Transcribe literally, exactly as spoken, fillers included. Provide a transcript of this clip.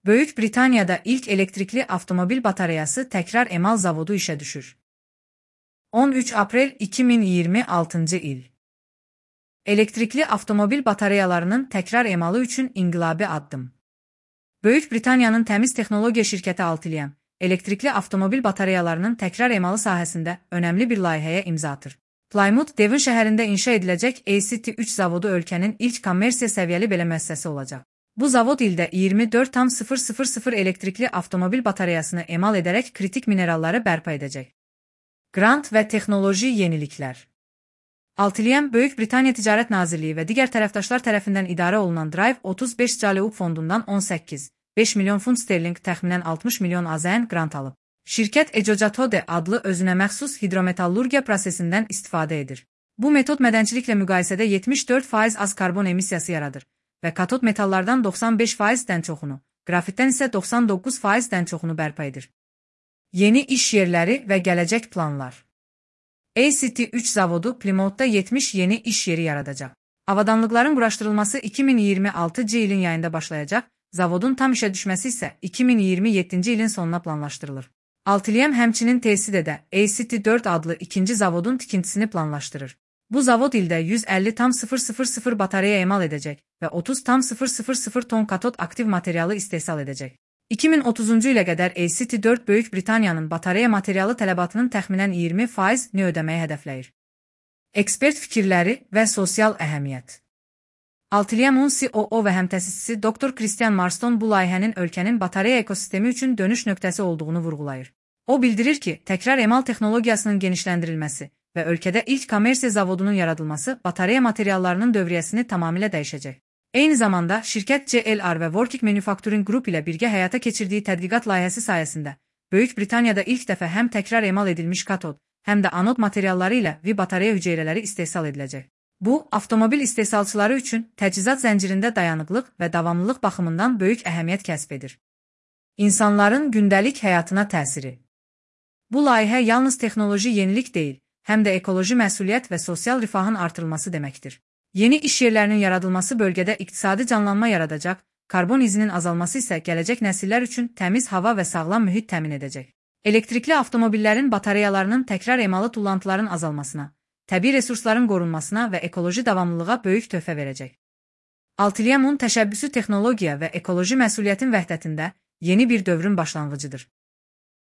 Böyük Britaniyada ilk elektrikli avtomobil batareyası təkrar emal zavodu işə düşür. on üç aprel iki min iyirmi altıncı il. Elektrikli avtomobil batareyalarının təkrar emalı üçün inqilabi addım. Böyük Britaniyanın təmiz texnologiya şirkəti Altium, elektrikli avtomobil batareyalarının təkrar emalı sahəsində önəmli bir layihəyə imza atır. Plymouth, Devon şəhərində inşa ediləcək A C T üç zavodu ölkənin ilk kommersiya səviyyəli belə müəssisəsi olacaq. Bu zavod ildə iyirmi dörd min elektrikli avtomobil batareyasını emal edərək kritik mineralları bərpa edəcək. Grant və texnoloji yeniliklər. Altium, Böyük Britaniya Ticarət Nazirliyi və digər tərəfdaşlar tərəfindən idarə olunan Drive otuz beş Caliub fondundan on səkkiz nöqtə beş milyon funt sterling təxminən altmış milyon AZN qrant alıb. Şirkət Ecocatode adlı özünə məxsus hidrometallurgiya prosesindən istifadə edir. Bu metod mədənçiliklə müqayisədə yetmiş dörd faiz az karbon emissiyası yaradır və katod metallardan doxsan beş faizdən çoxunu, qrafitdən isə doxsan doqquz faizdən çoxunu bərpa edir. Yeni iş yerləri və gələcək planlar. A C T üç zavodu Plymouthda yetmiş yeni iş yeri yaradacaq. Avadanlıqların quraşdırılması iki min iyirmi altıncı ilin yayında başlayacaq, zavodun tam işə düşməsi isə iki min iyirmi yeddinci ilin sonuna planlaşdırılır. Altium həmçinin T S D-də A C T dörd adlı ikinci zavodun tikintisini planlaşdırır. Bu zavod ildə yüz əlli min batareya emal edəcək və otuz min ton katod aktiv materialı istehsal edəcək. iki min otuzuncu ilə qədər A C T dörd Böyük Britaniyanın batareya materialı tələbatının təxminən iyirmi faizini ödəməyi hədəfləyir. Ekspert fikirləri və sosial əhəmiyyət. Altiumun C O O və həmtəsisçisi doktor Christian Marston bu layihənin ölkənin batareya ekosistemi üçün dönüş nöqtəsi olduğunu vurğulayır. O bildirir ki, təkrar emal texnologiyasının genişləndirilməsi və ölkədə ilk kommersiya zavodunun yaradılması batareya materiallarının dövriyyəsini tamamilə dəyişəcək. Eyni zamanda, şirkət C L R və Working Manufacturing Group ilə birgə həyata keçirdiyi tədqiqat layihəsi sayəsində, Böyük Britaniyada ilk dəfə həm təkrar emal edilmiş katod, həm də anod materialları ilə V batareya hüceyrələri istehsal ediləcək. Bu, avtomobil istehsalçıları üçün təchizat zəncirində dayanıqlıq və davamlılıq baxımından böyük əhəmiyyət kəsb edir. İnsanların gündəlik həyatına təsiri. Bu layihə yalnız texnoloji yenilik deyil, həm də ekoloji məsuliyyət və sosial rifahın artırılması deməkdir. Yeni iş yerlərinin yaradılması bölgədə iqtisadi canlanma yaradacaq, karbon izinin azalması isə gələcək nəsillər üçün təmiz hava və sağlam mühit təmin edəcək. Elektrikli avtomobillərin batareyalarının təkrar emalı tullantıların azalmasına, təbii resursların qorunmasına və ekoloji davamlılığa böyük töhfə verəcək. Altiumun təşəbbüsü texnologiya və ekoloji məsuliyyətin vəhdətində yeni bir dövrün başlanğıcıdır.